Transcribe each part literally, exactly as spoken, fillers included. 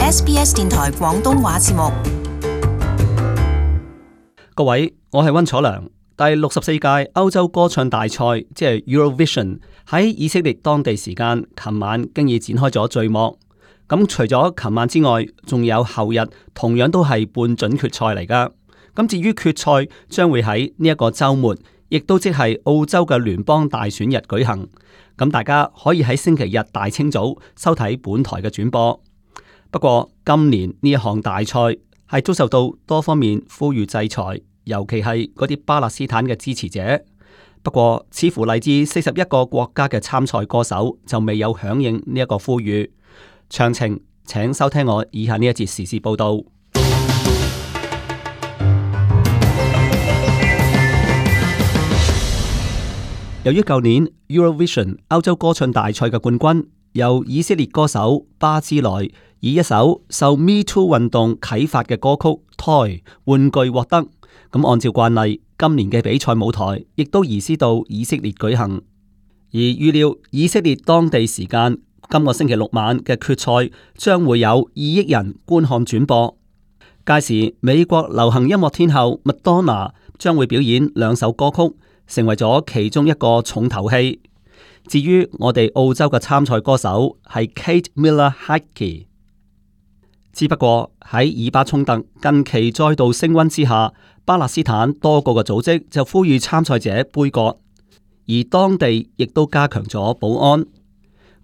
S B S 電台廣東話節目。各位，我係溫楚良。第六十四屆歐洲歌唱大賽，即係 Eurovision， 喺以色列當地時間琴晚經已展開咗序幕。咁除咗琴晚之外，仲有後日，同樣都係半準決賽嚟噶。咁至於決賽將會喺呢一個週末，亦都即係澳洲嘅聯邦大選日舉行。咁大家可以喺星期日大清早收睇本台嘅轉播。不過今年呢一項大賽係遭受到多方面呼籲制裁，尤其係嗰啲巴勒斯坦嘅支持者。不過似乎嚟自四十一個國家嘅參賽歌手就未有響應呢一個呼籲。詳情請收聽我以下呢一節時事報道。由於舊年 Eurovision 歐洲歌唱大賽嘅冠軍由以色列歌手巴茲萊以一首受 Me Too 運動啟發嘅歌曲 Toy 玩具獲得，咁按照慣例，今年嘅比賽舞台亦都移師到以色列舉行。而預料以色列當地時間今個星期六晚嘅決賽將會有二億人觀看轉播。屆時美國流行音樂天后麥當娜將會表演兩首歌曲，成為咗其中一個重頭戲。至於我哋澳洲嘅參賽歌手係 Kate Miller-Heidke。只不過喺以巴衝突近期再度升溫之下，巴勒斯坦多個嘅組織就呼籲參賽者杯葛，而當地亦都加強咗保安。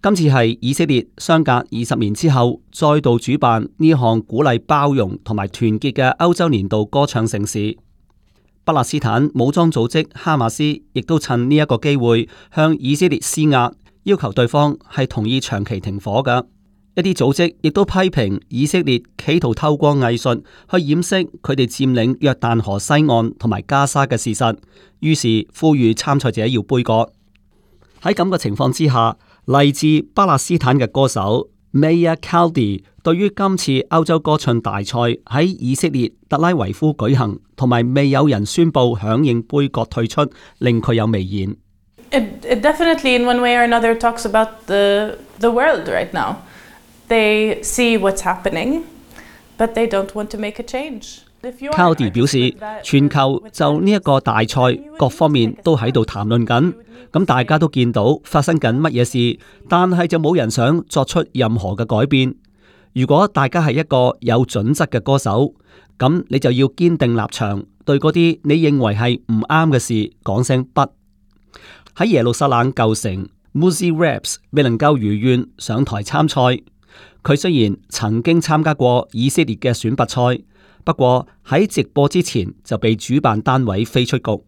今次係以色列相隔二十年之後再度主辦呢項鼓勵包容同埋團結嘅歐洲年度歌唱盛事。巴勒斯坦武裝組織哈馬斯亦都趁呢一個機會向以色列施壓，要求對方係同意長期停火㗎。一啲組織亦都批評以色列企圖透過藝術去掩飾佢哋佔領約旦河西岸同埋加沙嘅事實，於是呼籲參賽者要杯葛。喺咁嘅情況之下，嚟自巴勒斯坦嘅歌手 Maya Kaldi 對於今次歐洲歌唱大賽喺以色列特拉維夫舉行，同埋未有人宣布響應杯葛退出，令佢有微言。It, it definitely in one way or another talks about the, the world right now. They see what's happening, but they don't want to make a change. Kaldi 表示，全球就呢一個大賽各方面都喺度談論緊，咁大家都見到發生緊乜嘢事，但係就冇人想作出任何嘅改變。如果大家係一個有準則嘅歌手，咁你就要堅定立場，對嗰啲你認為係唔啱嘅事講聲不。喺耶路撒冷舊城 Muzzy Raps 未能夠如願上台參賽。佢雖然曾經參加過以色列嘅選拔賽，不過喺直播之前就被主辦單位飛出局。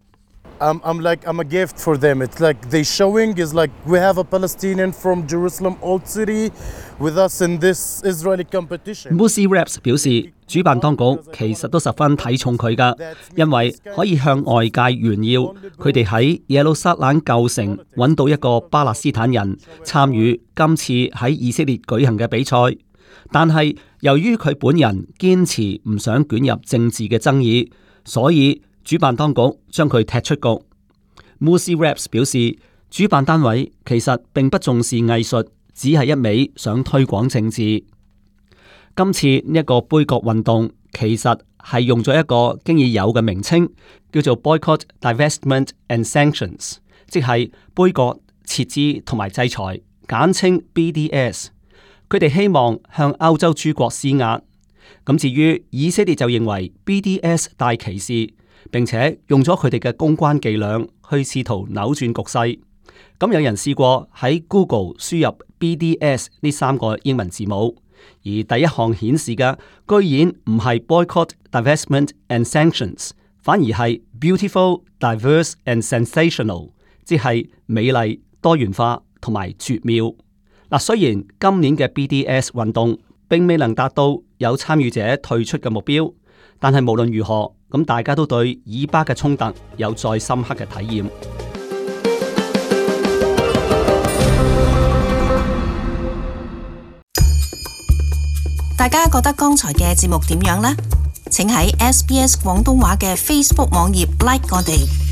I'm, I'm like I'm a gift for them. It's like they showing is like we have a Palestinian from Jerusalem Old City with us in this Israeli competition. Muzzy Raps 表示，主辦當局其實都十分睇重佢㗎，因為可以向外界炫耀佢哋喺耶路撒冷舊城揾到一個巴勒斯坦人參與今次喺以色列舉行嘅比賽。但係由於佢本人堅持唔想捲入政治嘅爭議，所以主辦當局將佢踢出局。Muzzy Raps 表示，主辦單位其實並不重視藝術，只係一味想推廣政治。今次呢一個杯葛運動其實係用咗一個經已有嘅名稱，叫做 Boycott, Divestment and Sanctions， 即係杯葛、撤資同埋制裁，簡稱 B D S。佢哋希望向歐洲諸國施壓。咁至於以色列就認為 B D S 帶歧視，並且用咗佢哋嘅公關伎倆去試圖扭轉局勢。咁有人試過喺 Google 輸入 B D S 呢三個英文字母，而第一項顯示嘅居然唔係 Boycott, Divestment and Sanctions， 反而係 Beautiful, Diverse and Sensational， 即係美麗、多元化同埋絕妙。嗱，雖然今年嘅 B D S 運動並未能達到有參與者退出嘅目標，但係無論如何，咁大家都對以巴嘅衝突有再深刻嘅體驗。大家覺得剛才嘅節目點樣呢？請喺 S B S 廣東話嘅 Facebook 網頁 like 我哋。